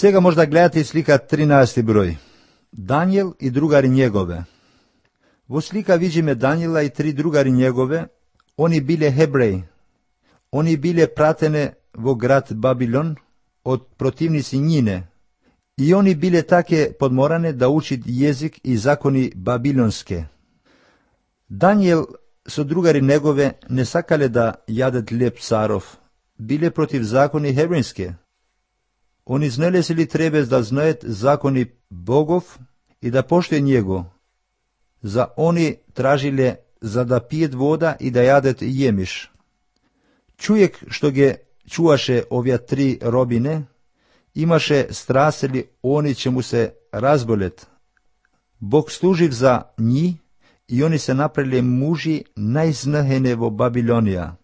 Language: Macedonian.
Сега може да гледате слика 13 број. Даниел и другари негове. Во слика видиме Даниела и 3 другари негове. Они биле хебреи. Они биле пратене во град Бабилон од противници њине. И они биле таке подморане да учит језик и закони бабилонске. Даниел со другари негове не сакале да јадат леп царов. Биле против закони хебрејске. Они знеле се ли требе да знаат закони Богов и да поштои него. За они тражиле за да пиет вода и да јадат јемиш. Човек што ги чуваше овие 3 робине, имаше страсели они че му се разболет. Бог служив за нив и они се направиле мужи најзнахене во Бабилонија.